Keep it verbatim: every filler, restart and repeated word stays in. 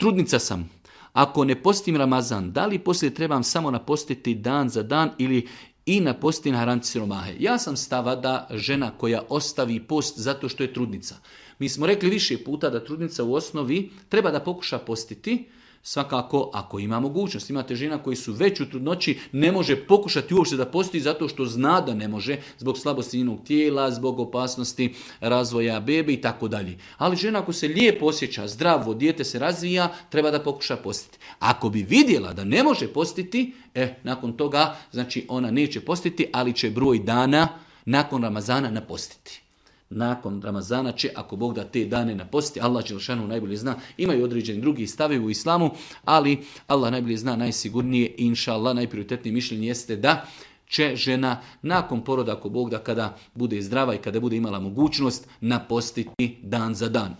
trudnica sam, ako ne postim Ramazan, da li poslije trebam samo napostiti dan za dan ili i napostiti na haram siromahe? Ja sam stava da žena koja ostavi post zato što je trudnica. Mi smo rekli više puta da trudnica u osnovi treba da pokuša postiti, svakako ako ima mogućnost. Imate žena koji su već u trudnoći, ne može pokušati uopšte da posti zato što zna da ne može, zbog slabosti njenog tijela, zbog opasnosti razvoja bebe i tako dalje. Ali žena ako se lijepo osjeća, zdravo, dijete se razvija, treba da pokuša postiti. Ako bi vidjela da ne može postiti, e, nakon toga, znači ona neće postiti, ali će broj dana nakon Ramazana napostiti. Nakon Ramazana će, ako Bog da, te dane napostiti. Allah dželešanu najbolje zna. Imaju određeni drugi stavi u islamu, ali Allah najbolje zna, najsigurnije, inša Allah, najprioritetnije mišljenje jeste da će žena nakon poroda, ako Bog da, kada bude zdrava i kada bude imala mogućnost, napostiti dan za dan.